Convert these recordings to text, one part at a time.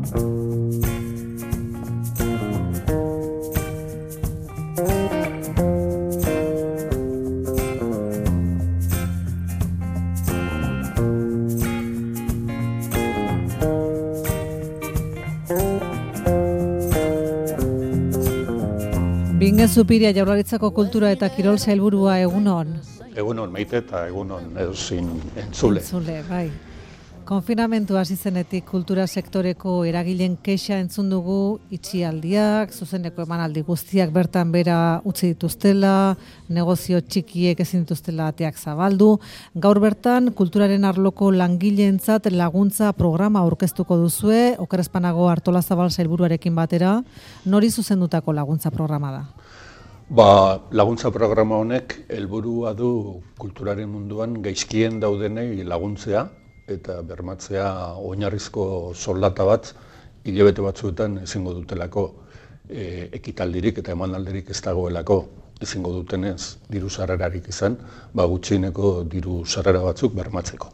Bingen Zupiria, Jaurlaritzako Kultura eta Kirol Sailburua, egunon. Egunon Maite eta egunon edozin entzule. Entzule, bai. Konfinamentu hasi zenetik kultura sektoreko eragileen kexa entzun dugu, itxialdiak, zuzeneko emanaldi guztiak bertan bera utzi dituztela, negozio txikiek ezin dituztela ateak zabaldu. Gaur bertan, kulturaren arloko langileentzat laguntza programa aurkeztuko duzue, Oker Espanago Artolazabal Sailburuarekin batera, nori zuzendutako laguntza programa da? Laguntza programa honek helburua du kulturaren munduan gaizkien daudenei laguntzea eta bermatzea oinarrizko soldata bat hilabete batzuetan ezingo dutelako, ekitaldirik eta emanaldirik ez dagoelako ezingo dutenez diru sarrerarik izan, gutxieneko diru sarrera batzuk bermatzeko.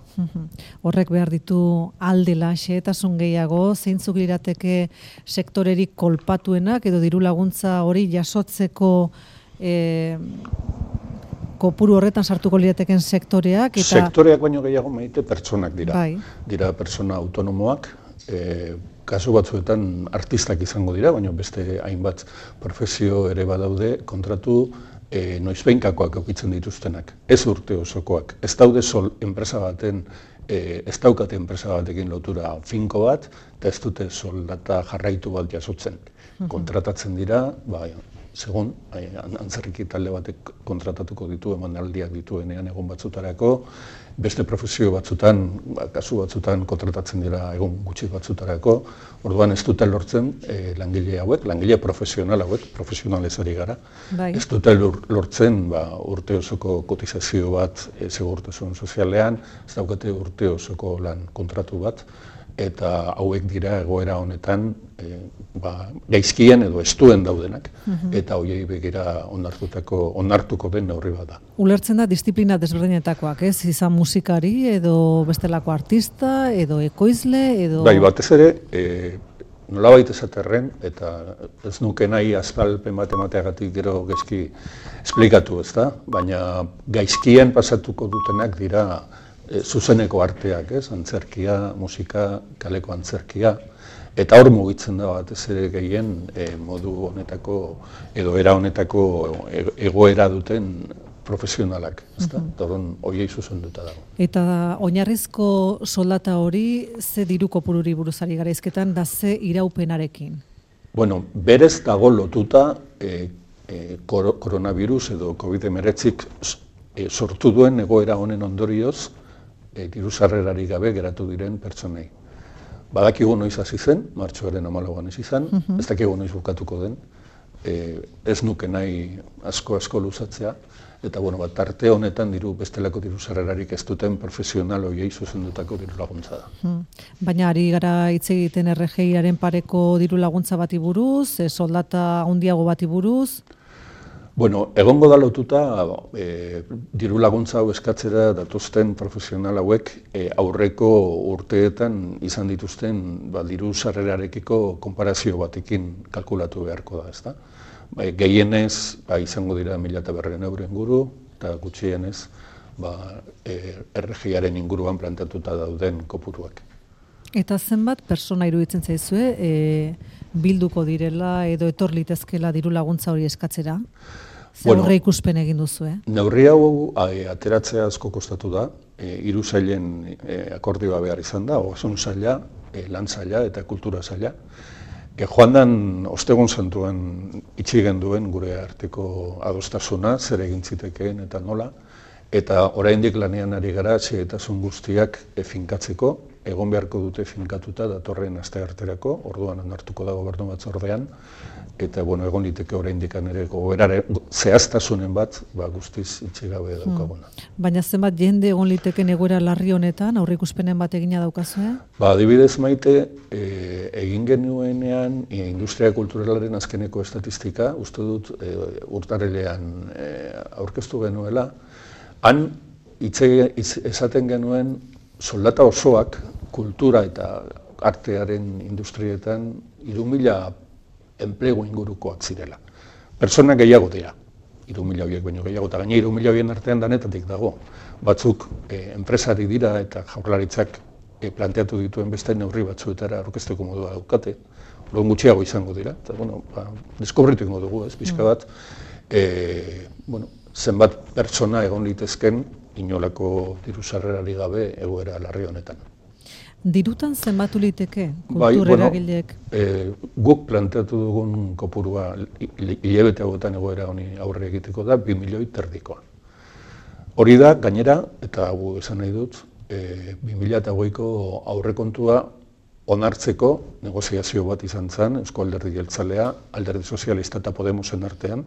Horrek behar ditu aldela xehetasun gehiago, zeintzuk lirateke sektorerik kolpatuenak edo diru laguntza hori jasotzeko kopuru horretan sartuko lirateken sektoreak? Sektoreak baino gehiago Maite pertsonak dira. Bai. Dira pertsona autonomoak, kasu batzuetan artistak izango dira, baina beste hainbat profesio ere badaude kontratu noizbehinkakoak edukitzen dituztenak, ez urte osokoak. Ez daude enpresa baten, ez daukate enpresa batekin lotura finko bat, eta ez dute soldata jarraitu bat jasotzen. Kontratatzen dira, segun, antzerki talde batek kontratatuko ditu, emanaldiak dituenean egun batzutarako, beste profesio batzutan, kasu batzutan kontratatzen dira egun gutxi batzutarako, orduan ez dute lortzen langile hauek, langile profesional hauek, profesionalez ari gara, ez dute lortzen urte osoko kotizazio bat segurtasun sozialean, ez daukate urte osoko lan kontratu bat, eta hauek dira egoera honetan gaizkien edo estuen daudenak, eta horiei begira onartuko den neurri bat da. Ulertzen da disiplina desberdinetakoak, ez? Izan musikari edo bestelako artista, edo ekoizle, edo... Batez ere, nolabait esaterren, eta ez nuke nahi azalpen bat emateagatik gero gaizki esplikatu, ez da? Baina gaizkien pasatuko dutenak dira zuzeneko arteak, antzerkia, musika, kaleko antzerkia, eta hor mugitzen da batez ere gehien modu honetako edo era honetako egoera duten profesionalak, ezta? Orduan horiei zuzenduta dago. Eta oinarrizko soldata hori ze diru kopururi buruz ari gara hizketan da ze iraupenarekin? Berez dago lotuta koronavirus edo COVID-19 sortu duen egoera honen ondorioz diru sarrerarik gabe geratu diren pertsonei. Badakigu noiz hasi zen, martxoaren 14an hasi zen, ez dakigu noiz bukatuko den, ez nuke nahi asko luzatzea, eta tarte honetan bestelako diru sarrerarik ez duten profesional horiei zuzendutako diru laguntza da. Baina ari gara hitz egiten RGIaren pareko diru laguntza bati buruz, soldata handiago bati buruz? Egongo da lotuta diru laguntza hau eskatzera datozten profesional hauek aurreko urteetan izan dituzten diru sarrerarekiko konparazio batekin kalkulatu beharko da, ezta? Gehienez izango dira 1.200 euro inguru, eta gutxienez RGIaren inguruan plantatuta dauden kopuruak. Eta zenbat persona iruditzen zaizue bilduko direla edo etor litezkela diru laguntza hori eskatzera? Zer horre ikuspen egin duzu, Neurri hau ateratzea asko kostatu da, 3 sailen akordioa behar izan da, ogasun saila, lan saila eta kultura saila. Joandan ostegun santuan itxi genduen gure arteko adostasuna, zer egin zitekeen eta nola, eta oraindik lanean ari gara xehetasun guztiak finkatzeko, egon beharko dute finkatuta datorren astearterako, orduan onartuko da gobernu batzordean, eta egon liteke oraindik ere zehaztasunen bat guztiz itxi gabe daukaguna. Baina zenbat jende egon liteken egoera larri honetan, aurreikuspenen bat egina daukazue? Adibidez Maite, egin genuenean industria kulturalaren azkeneko estatistika, uste dut urtarrilean aurkeztu genuela, han esaten genuen soldata osoak kultura eta artearen industrietan 3.000 enplegu ingurukoak zirela. Persona gehiago dira, 3.000 horiek baino gehiago, eta gaine 3.000 horien artean danetatik dago. Batzuk enpresari dira eta Jaurlaritzak planteatu dituen beste neurri batzuetara aurkezteko modua daukate. Orduan gutxiago izango dira, eta deskobritu egingo dugu, pixka bat, zenbat pertsona egon litezken inolako diru-sarrerari gabe egoera larri honetan. Dirutan zenbatu liteke kultur eragileek? Guk planteatu dugun kopurua hilabete hauetan egoera honi aurre egiteko da 2 milioi terdikoa. Hori da, gainera, eta hau esan nahi dut, 2008ko aurrekontua onartzeko negoziazio bat izan zen, Eusko Alderdi Jeltzalea, Alderdi Sozialista eta Podemosen artean,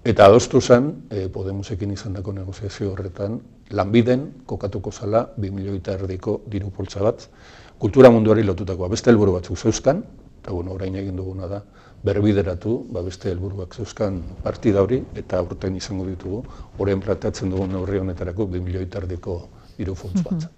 eta adostu zen, Podemosekin izandako negoziazio horretan, lanbiden kokatuko zala 2 milioi terdiko diru poltsa bat, kultura munduari lotutakoa. Beste helburu batzuk zeuzkan, eta orain egin duguna da, berbideratu, beste helburuak zeuzkan partida hori, eta aurten izango ditugu, orain planteatzen dugun neurri honetarako 2 milioi terdiko diru poltsa bat.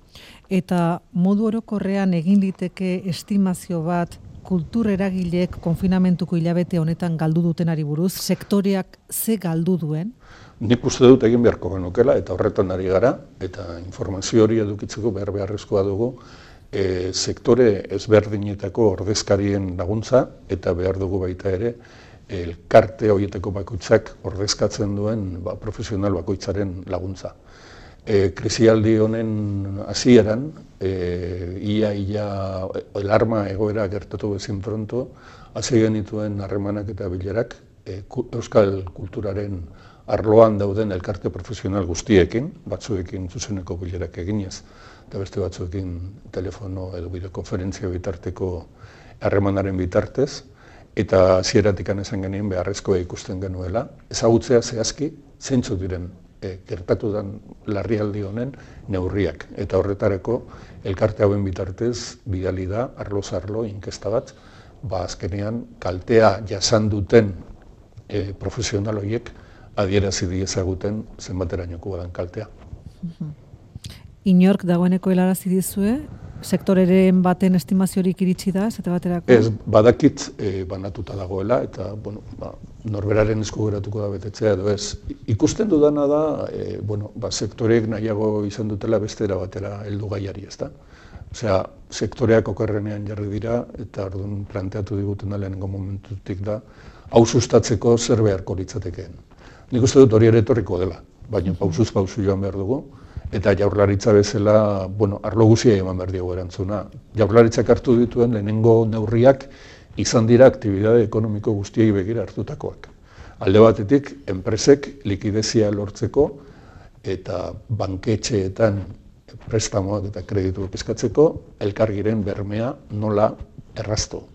Eta modu orokorrean egin liteke estimazio bat kultur eragileek konfinamentuko hilabete honetan galdu dutenari buruz, sektoreak ze galdu duen? Nik uste dut egin beharko genukela, eta horretan ari gara, eta informazio hori edukitzeko beharrezkoa dugu, sektore ezberdinetako ordezkarien laguntza, eta behar dugu baita ere, elkarte horietako bakoitzak ordezkatzen duen profesional bakoitzaren laguntza. Krisialdi honen hasieran, ia alarma egoera gertatu bezin pronto, hasi genituen harremanak eta bilerak euskal kulturaren arloan dauden elkarte profesional guztiekin, batzuekin zuzeneko bilerak eginez, eta beste batzuekin telefono edo bideokonferentzia bitarteko harremanaren bitartez, eta hasieratik esan genien beharrezkoa ikusten genuela, ezagutzea zehazki zeintzuk diren gertatu den larrialdi honen neurriak. Eta horretarako elkarte hauen bitartez bidali da, arloz arlo, inkesta bat, azkenean kaltea jasan duten profesional horiek adierazi diezaguten zenbaterainoko badan kaltea. Inork dagoeneko helarazi dizue, sektoreren baten estimaziorik iritsi da, esate baterako? Ez, badakit banatuta dagoela, eta norberaren esku geratuko da betetzea edo ez. Ikusten dudana da, sektoreek nahiago izan dutela beste era batera heldu gaiari, ezta? Osea, sektoreak okerrenean jarri dira, eta orduan planteatu diguten lehenengo momentutik da, hau sustatzeko zer beharko litzatekeen. Nik uste dut hori ere etorriko dela, baina pausuz pausu joan behar dugu, eta Jaurlaritza bezala, arlo guzia eman behar diogu erantzuna. Jaurlaritzak hartu dituen lehenengo neurriak izan dira aktibitate ekonomiko guztiei begira hartutakoak. Alde batetik, enpresek likidezia lortzeko eta banketxeetan prestamoak eta kredituak eskatzeko elkargiren bermea nola erraztu.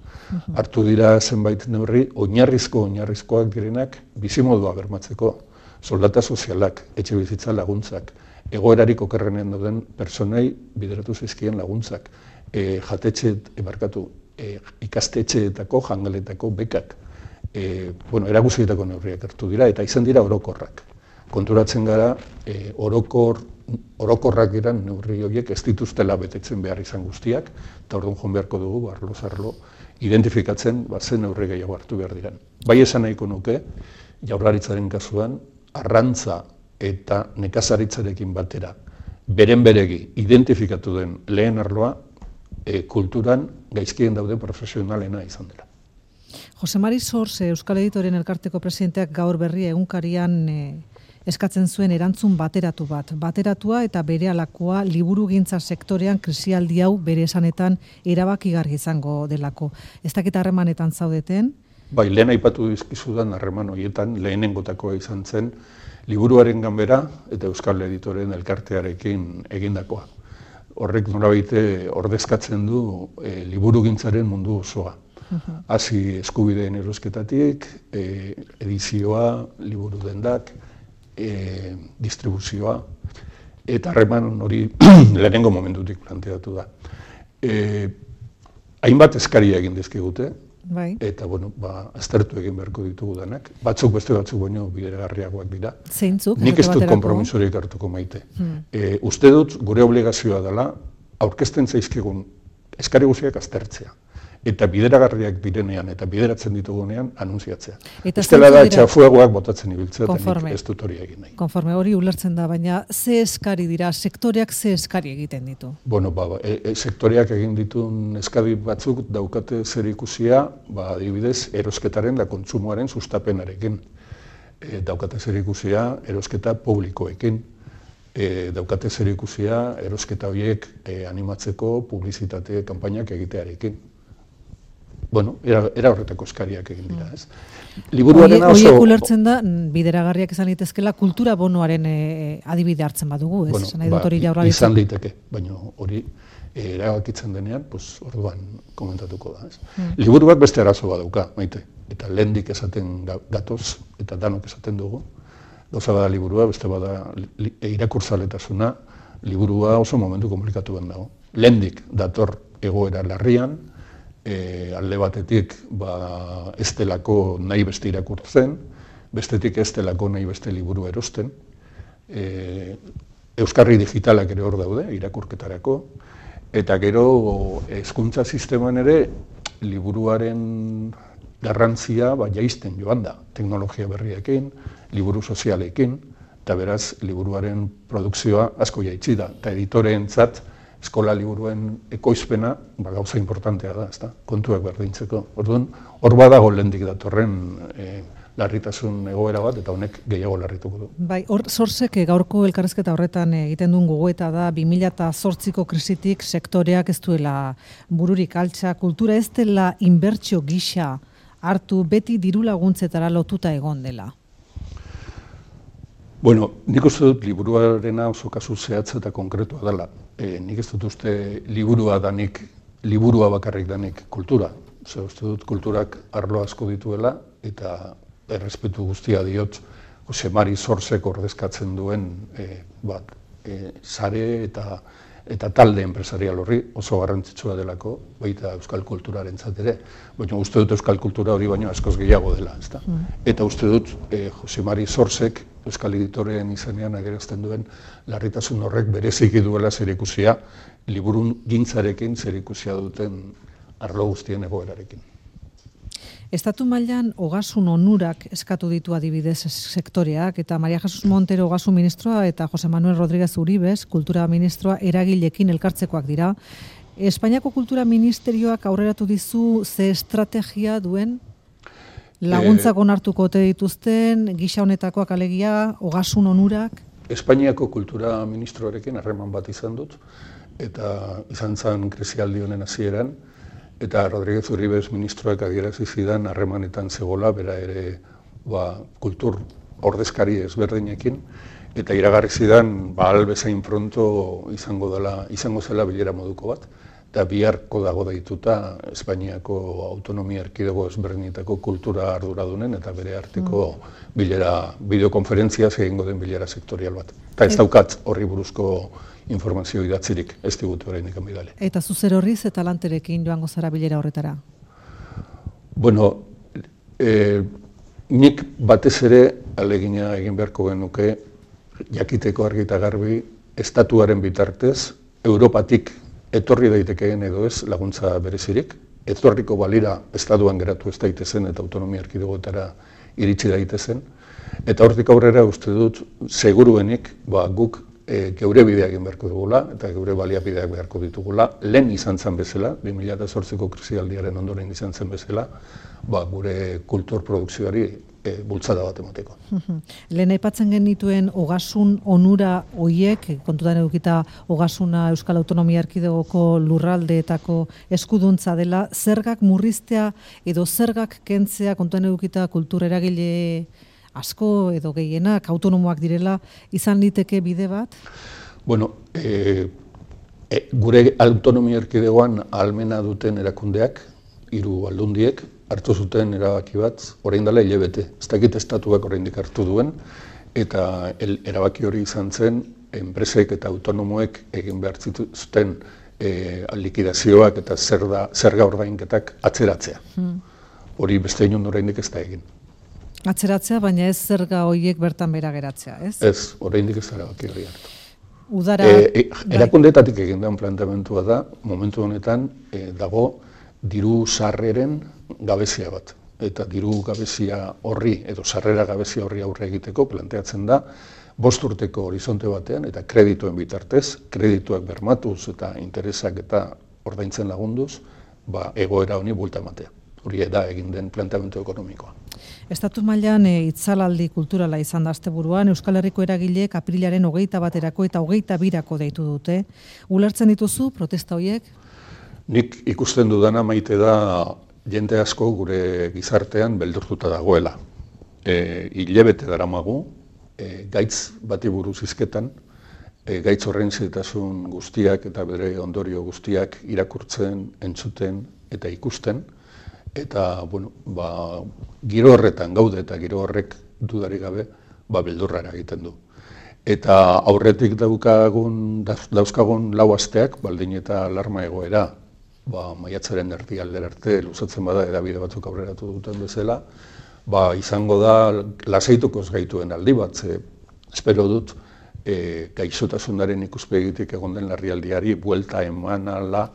Hartu dira zenbait neurri, oinarrizkoak direnak bizimodua bermatzeko, soldata sozialak, etxe bizitza laguntzak, egoerarik okerrenean dauden pertsonei bideratu zaizkien laguntzak, ikastetxeetako, jangeletako bekak, eraguzietako neurriak hartu dira, eta izan dira orokorrak. Konturatzen gara, orokorrak diren neurri horiek ez dituztela betetzen behar izan guztiak, eta orduan joan beharko dugu, arlo identifikatzen zen neurri gehiago hartu behar diren. Bai esan nahiko nuke, Jaurlaritzaren kasuan, arrantza eta nekazaritzarekin batera, beren beregi identifikatu den lehen arloa, kulturan gaizkien dauden profesionalena izan dela. Jose Mari Sorse, Euskal Editoren Elkarteko presidenteak gaur berria egunkarian eskatzen zuen erantzun bateratua eta berehalakoa liburugintza sektorean krisialdi hau bere esanetan erabakigarri izango delako. Ez dakit harremanetan zaudeten? Bai, lehen aipatu dizkizudan harreman horietan lehenengotakoa izan zen Liburuaren Ganbera eta Euskal Editoren Elkartearekin egindakoa. Horrek nolabaite ordezkatzen du liburugintzaren mundu osoa. Hasi eskubideen erosketatik, edizioa, liburu dendak, distribuzioa, eta harreman hori lehenengo momentutik planteatu da. Hainbat eskaria egin dizkigute, eta aztertu egin beharko ditugu denak. Batzuk beste batzuk baino bideragarriagoak dira. Zeintzuk? Nik ez dut konpromisorik hartuko maite. Uste dut gure obligazioa dela, aurkezten zaizkigun eskari guztiak aztertzea. Eta bideragarriak direnean eta bideratzen ditugunean anuntziatzea. Estela da txafuegoak botatzen ibiltzea eta nik ez dut hori egin nahi. Konforme hori ulertzen da, baina ze eskari dira, sektoreak ze eskari egiten ditu? Bueno, sektoreak egin ditun eskari batzuk daukate zer ikusia, adibidez, erosketaren da kontsumoaren sustapenarekin. Daukate zer ikusia erosketa publikoekin. Daukate zer ikusia erosketa horiek animatzeko publizitate kanpainak egitearekin. Bueno, era horretako eskariak egin dira, ez? Liburuarena oso... Horiek ulertzen da, bideragarriak izan litezkela, kultura bonoaren adibide hartzen badugu, ez? Bueno, izan liteke, baina hori erabakitzen denean, orduan komentatuko da, ez? Liburuak beste arazo badauka, maite, eta lehendik esaten gatoz, eta danok esaten dugu, gauza bada liburua, beste bada irakurtzaletasuna, liburua oso momentu komplikatu ben dago. Lehendik dator egoera larrian, alde batetik ez delako nahi beste irakurtzen, bestetik ez delako nahi beste liburu erosten. Euskarri digitalak ere hor daude, irakurketarako, eta gero hezkuntza sisteman ere liburuaren garrantzia jaisten joan da, teknologia berriekin, liburu sozialekin, eta beraz liburuaren produkzioa asko jaitsi da, eta editoreentzat eskola liburuen ekoizpena gauza importantea da, ezta? Kontuak berdintzeko. Orduan, hor badago lehendik datorren larritasun egoera bat, eta honek gehiago larrituko du. Bai, hor Sorsek gaurko elkarrizketa horretan egiten duen gogoeta da 2008ko krisitik sektoreak ez duela bururik altxa, kultura ez dela inbertsio gisa hartu beti diru laguntzetara lotuta egon dela. Bueno, nik uste dut liburuarena oso kasu zehatza eta konkretua dela. Nik ez dut uste liburua bakarrik danik kultura. Uste dut kulturak arlo asko dituela eta errespetu guztia diot Jose Mari Sorsek ordezkatzen duen sare eta talde enpresarial horri oso garrantzitsua delako, baita euskal kulturarentzat ere. Baina uste dut euskal kultura hori baino askoz gehiago dela, ezta? Eta uste dut Jose Mari Sorsek euskal editoreen izenean agerazten duen larritasun horrek bereziki duela zerikusia liburun gintzarekin zerikusia duten arlo guztien egoerarekin. Estatu mailan ogasun onurak eskatu ditu adibidez sektoreak, eta Maria Jesus Montero ogasun ministroa eta Jose Manuel Rodríguez Uribes kultura ministroa eragilekin elkartzekoak dira. Espainiako kultura ministerioak aurreratu dizu ze estrategia duen laguntzak onartuko ote dituzten, gisa honetakoak alegia, ogasun onurak? Espainiako kultura ministroarekin harreman bat izan dut, eta izan zen krisialdi honen hasieran, eta Rodríguez Uribes ministroak adierazi zidan harremanetan zegoela, bera ere kultur ordezkari ezberdinekin, eta iragarri zidan bezain pronto izango zela bilera moduko bat, eta biharko dago daituta Espainiako autonomia erkidego ezberdinetako kultura arduradunen eta bere arteko bilera, bideokonferentzia egingo den bilera sektorial bat. Eta ez daukat horri buruzko informazio idatzirik, ez digute oraindik bidali. Eta zuzer horriz eta lanterekin joango zara bilera horretara? Bueno, nik batez ere ahalegina egin beharko genuke jakiteko argi eta garbi estatuaren bitartez, Europatik etorri daitekeen edo ez laguntza berezirik, etorriko balira estatuan geratu ez daitezen eta autonomia erkidegoetara iritsi daitezen, eta hortik aurrera uste dut seguruenik guk geure bidea egin beharko dugula eta geure baliabideak beharko ditugula, lehen izan zen bezala, 2008ko krisialdiaren ondoren izan zen bezala, gure kultur produkzioari bultzada bat emateko. Lehen aipatzen genituen ogasun onura hoiek, kontutan edukita ogasuna Euskal Autonomia Erkidegoko lurraldeetako eskuduntza dela, zergak murriztea edo zergak kentzea, kontutan edukita kultura eragile asko edo gehienak autonomoak direla, izan liteke bide bat? Bueno, gure autonomia erkidegoan ahalmena duten erakundeak, 3 aldundiek, hartu zuten erabaki bat, orain dela hilabete. Ez dakit estatuak oraindik hartu duen, eta erabaki hori izan zen, enpresek eta autonomoek egin behar zuten likidazioak eta zerga ordainketak atzeratzea. Hori beste inon oraindik ez da egin. Atzeratzea, baina ez zerga horiek bertan bera geratzea, ez? Ez, oraindik ez erabaki hori hartu. Udara... Erakundeetatik egin den planteamentua da, momentu honetan dago diru sarreren gabezia bat. Eta diru gabezia horri, edo sarrera gabezia horri aurre egiteko planteatzen da, 5 urteko horizonte batean eta kredituen bitartez, kredituak bermatuz eta interesak eta ordaintzen lagunduz, egoera honi buelta ematea. Hori da egin den planteamendu ekonomikoa. Estatu mailan itzalaldi kulturala izan da asteburuan, Euskal Herriko eragileek aprilaren 21erako eta 22erako deitu dute. Ulertzen dituzu protesta horiek? Nik ikusten dudana maite da jende asko gure gizartean beldurtuta dagoela. Hilabete daramagu, gaitz bati buruz hizketan, gaitz horren zailtasun guztiak eta bere ondorio guztiak irakurtzen, entzuten eta ikusten. Eta, giro horretan gaude eta giro horrek dudarik gabe, beldurra egiten du. Eta aurretik dauzkagun lau asteak, baldin eta alarma egoera, maiatzaren erdialdera arte luzatzen bada edabide batzuk aurreratu duten bezala, izango da lasaituko ez gaituen aldi bat, espero dut gaixotasunaren ikuspegitik egon den larrialdiari buelta eman ala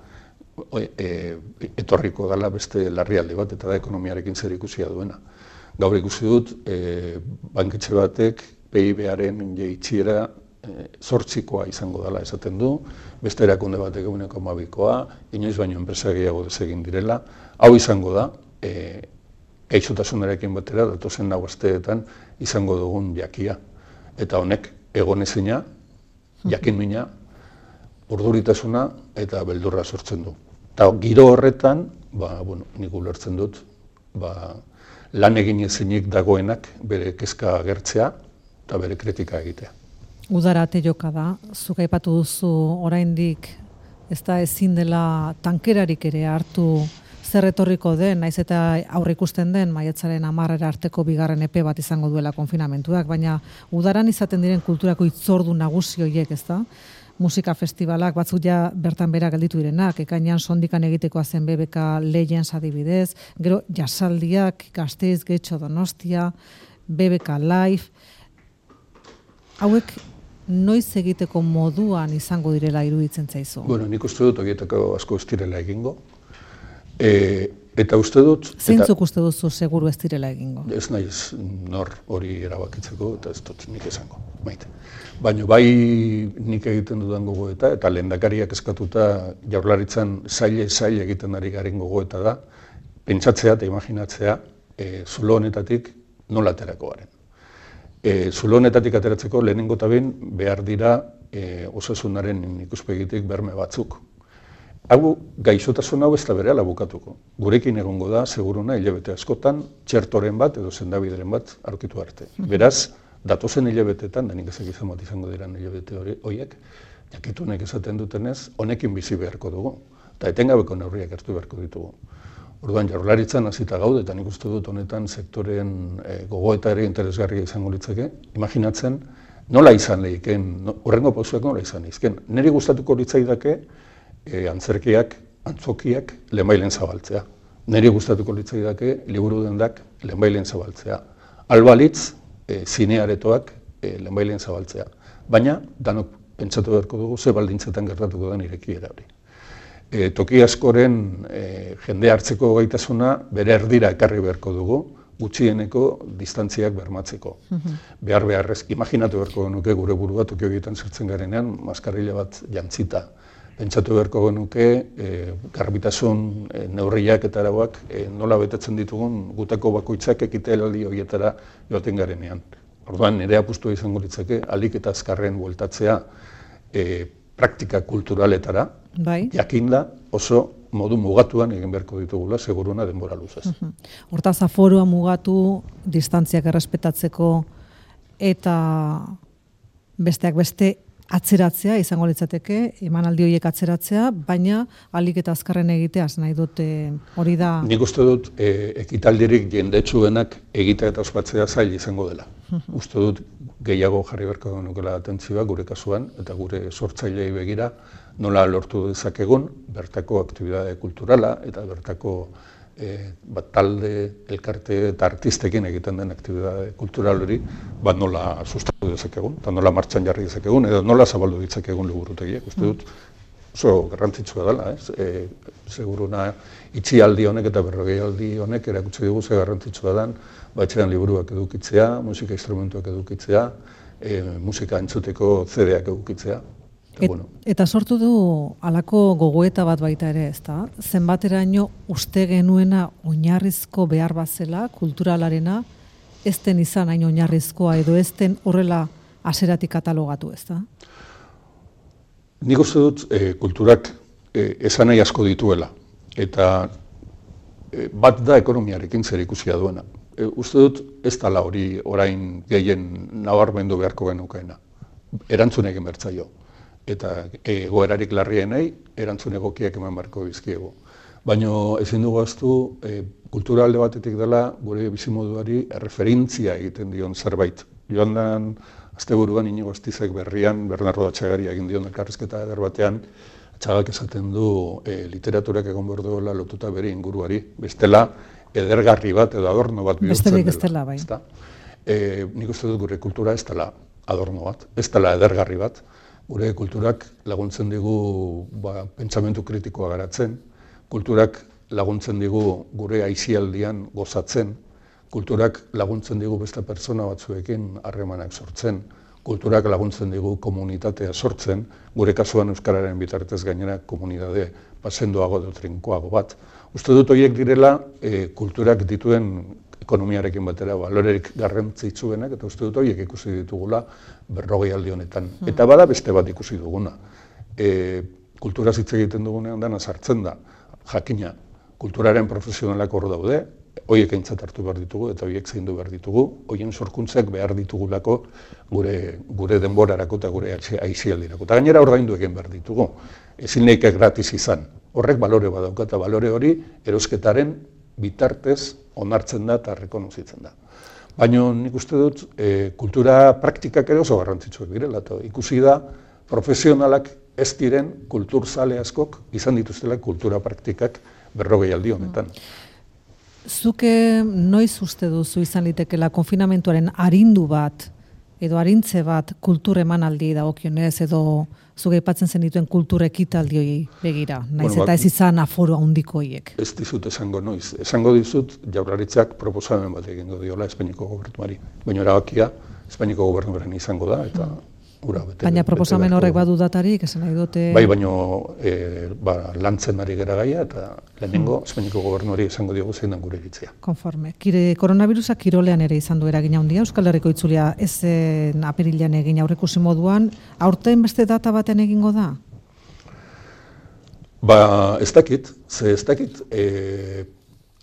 etorriko dela beste larrialdi bat eta da ekonomiarekin zer ikusia duena. Gaur ikusi dut, banketxe batek PIB-aren jaitsiera 8koa izango dela esaten du, beste erakunde batek 1,2koa, inoiz baino enpresa gehiago desegin direla. Hau izango da, gaixotasunarekin batera, datozen lau asteetan izango dugun jakia. Eta honek egonezina, jakinmina, urduritasuna eta beldurra sortzen du. Eta giro horretan, nik ulertzen dut, lan egin ezinik dagoenak bere kezka agertzea eta bere kritika egitea. Udara ate joka da, zuk aipatu duzu oraindik ez da ezin dela tankerarik ere hartu zer etorriko den, naiz eta aurre ikusten den maiatzaren 10 arteko bigarren epe bat izango duela konfinamentuak, baina udaran izaten diren kulturako hitzordu nagusi horiek, ezta? Musika festivalak batzuk ja bertan bera gelditu direnak, ekainean sondikan egitekoa zen BBK Legends adibidez, gero jasaldiak Gasteiz, Getxo, Donostia, BBK Live. Hauek noiz egiteko moduan izango direla iruditzen zaizu? Nik uste dut horietako asko ez direla egingo. Eta uste dut... Zeintzuk uste duzu seguru ez direla egingo? Ez naiz nor hori erabakitzeko eta ez dut nik esango, maite. Baina bai nik egiten dudan gogoeta eta lehendakariak eskatuta Jaurlaritzan zail egiten ari garen gogoeta da, pentsatzea eta imaginatzea zulo honetatik nola aterako garen. Zulo honetatik ateratzeko lehenengo eta behin behar dira osasunaren ikuspegitik berme batzuk. Hau gaixotasun hau ez da berehala bukatuko. Gurekin egongo da, seguruna, hilabete askotan, txertoren bat edo sendabideren bat aurkitu arte. Beraz, datozen hilabetetan, da nik ezak izan bat izango diran hilabete horiek, jakitunek esaten dutenez, honekin bizi beharko dugu. Eta etengabeko neurriak hartu beharko ditugu. Orduan, Jaurlaritzan hasita gaude, eta nik uste dut honetan sektoren gogoeta ere interesgarria izango litzake, imaginatzen nola izan lehiken, horrengo pausuak nola izan lehiken. Niri gustatuko litzaidake, antzerkiak, antzokiak lehenbailen zabaltzea. Niri gustatuko litzaidake liburu dendak lehenbailen zabaltzea. Albalitz, zinearetoak lehenbailen zabaltzea. Baina, danok pentsatu beharko dugu ze baldintzetan gertatuko den irekiera hori. Toki askoren jende hartzeko gaitasuna bere erdira ekarri beharko dugu, gutxieneko distantziak bermatzeko. Beharrez, imaginatu beharko genuke gure burua toki horietan sartzen garenean, maskarilla bat jantzita. Pentsatu beharko genuke garbitasun neurriak eta arauak nola betetzen ditugun gutako bakoitzak ekitealdi horietara joaten garenean. Orduan, nire apustua izango litzake, ahalik eta azkarren bueltatzea praktika kulturaletara, jakinda oso modu mugatuan egin beharko ditugula, seguruna denbora luzez. Hortaz, aforua mugatu, distantziak errespetatzeko eta besteak beste atzeratzea izango litzateke, emanaldi horiek atzeratzea, baina ahalik eta azkarren egiteaz nahi dute hori da... Nik uste dut ekitaldirik jendetsuenak egitea eta ospatzea zail izango dela. Uste dut gehiago jarri beharko nukela atentzioa gure kasuan eta gure sortzailei begira nola lortu dezakegun bertako aktibitate kulturala eta bertako talde, elkarte eta artistekin egiten den aktibitate kultural hori, nola sustatu dezakegun, eta nola martxan jarri dezakegun, edo nola zabaldu ditzakegun liburutegiak. Uste dut, oso garrantzitsua dela, seguruna itxialdi honek eta berrogeialdi honek erakutsi dugu ze garrantzitsua den, etxean liburuak edukitzea, musika instrumentuak edukitzea, musika entzuteko CD-ak edukitzea. Eta sortu du halako gogoeta bat baita ere, ezta? Zenbateraino uste genuena oinarrizko behar bat zela, kulturalarena, ez den izan hain oinarrizkoa edo ez den horrela hasieratik katalogatu, ezta? Nik uste dut kulturak esan nahi asko dituela, eta bat da ekonomiarekin zer ikusia duena. Uste dut ez dela hori orain gehien nabarmendu beharko genukeena. Erantzun egin bertzaio. Eta egoerarik larrienei erantzun egokiak eman beharko bizkiegu. Baina ezin dugu ahaztu kultura alde batetik dela gure bizimoduari erreferentzia egiten dion zerbait. Joan den asteburuan Inigo Astizek berrian Bernardo Atxagari egin dion elkarrizketa eder batean, Atxagak esaten du literaturak egon behar duela lotuta bere inguruari. Bestela edergarri bat edo adorno bat bihurtzen dela. Besterik ez dela, bai. Nik uste dut gure kultura ez dela adorno bat, ez dela edergarri bat. Gure kulturak laguntzen digu pentsamentu kritikoa garatzen, kulturak laguntzen digu gure aisialdian gozatzen, kulturak laguntzen digu beste pertsona batzuekin harremanak sortzen, kulturak laguntzen digu komunitatea sortzen, gure kasuan euskararen bitartez gainera komunitate sendoago edo trinkoago bat. Uste dut horiek direla kulturak dituen ekonomiarekin batera balorerik garrantzitsuenak, eta uste dut horiek ikusi ditugula 40 aldi honetan. Eta bada beste bat ikusi duguna. Kulturaz hitz egiten dugunean dana sartzen da, jakina, kulturaren profesionalak hor daude, horiek aintzat hartu behar ditugu eta horiek zaindu behar ditugu, horien sorkuntzak behar ditugulako gure denborarako eta gure aisialdirako. Eta gainera ordaindu egin behar ditugu, ezin nahiko gratis izan. Horrek balore badauka eta balore hori erosketaren bitartez onartzen da eta rekonozitzen da. Baina nik uste dut kultura praktikak ere oso garrantzitsuak direla, eta ikusi da profesionalak ez diren kulturzale askok izan dituztela kultura praktikak 40 aldi honetan. Zuke noiz uste duzu izan litekela konfinamentuaren arindu bat edo arintze bat kultur emanaldi dagokionez edo zuke aipatzen zen dituen kultur ekitaldioi begira, naiz eta ez izan aforo handiko horiek. Ez dizut esango noiz. Esango dizut Jaurlaritzak proposamen bat egingo diola Espainiako gobernuari. Baina erabakia Espainiako gobernuaren izango da eta ura bete. Baina proposamen horrek badu datarik, esan nahi dute... Bai, baina lantzen ari gara gaia eta lehenengo Espainiako gobernuari esango diogu zein den gure iritzia. Konforme. Koronavirusak kirolean ere izan du eragina handia, Euskal Herriko itzulia ezen apirilean egin aurreikusi moduan, aurten beste data baten egingo da? Ez dakit,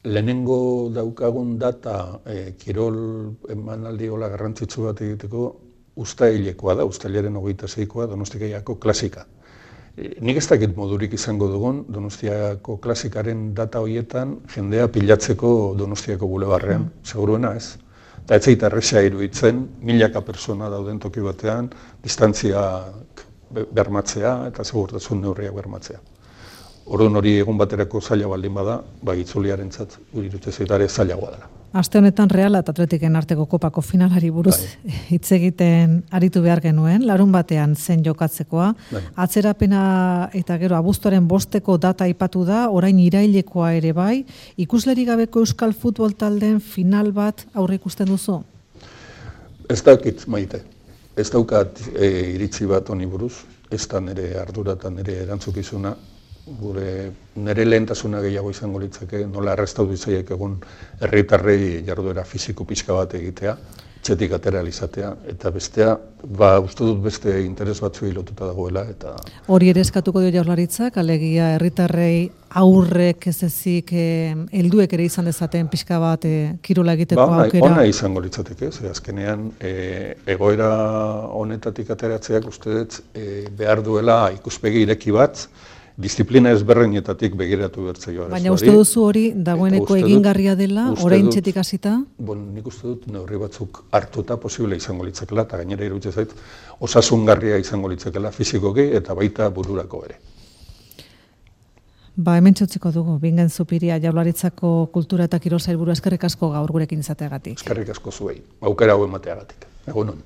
lehenengo daukagun data kirol emanaldi hola garrantzitsu bat egiteko uztailekoa da, uztailaren 26koa Donostiako klasika. Nik ez dakit modurik izango dugun Donostiako klasikaren data horietan jendea pilatzeko Donostiako bulebarrean, seguruena ez. Eta ez zait erresa iruditzen, milaka persona dauden toki batean, distantziak bermatzea eta segurtasun neurriak bermatzea. Orduan hori egun baterako zaila baldin bada, itzuliarentzat iruditzen zait ere zailagoa dela. Aste honetan Reala eta Atletiken arteko kopako finalari buruz hitz egiten aritu behar genuen, larun batean zen jokatzekoa. Atzerapena eta gero abuztuaren 5 data aipatu da, orain irailekoa ere bai. Ikuslerik gabeko euskal futbol taldeen final bat aurre ikusten duzu? Ez dakit, Maite. Ez daukat iritzi bat honi buruz, ez da nire ardura eta nire erantzukizuna. Nire lehentasuna gehiago izango litzake, nola errestaudu izaiek egun herritarrei jarduera fisiko pixka bat egitea, txetik atera izatea, eta bestea, uste dut beste interes batzuei lotuta dagoela. Hori ere eskatuko dio Jaurlaritzak, alegia herritarrei aurrek ez ezik helduek ere izan dezaten pixka bat kirola egiteko aukera. Ona izango litzateke, ze azkenean egoera honetatik ateratzeak uste dut behar duela ikuspegi ireki bat, disiplina ezberdinetatik begiratu bertzaioa. Baina uste duzu hori dagoeneko egingarria dela, orain txetik hasita? Nik uste dut neurri batzuk hartuta posible izango litzakela, eta gainera iruditzen zait osasungarria izango litzakela fisikoki eta baita bururako ere. Hemen txutziko dugu, Bingen Zupiria Jaurlaritzako Kultura eta Kirol Sailburua, eskerrik asko gaur gurekin izateagatik. Eskerrik asko zuei, aukera hau emateagatik. Egunon.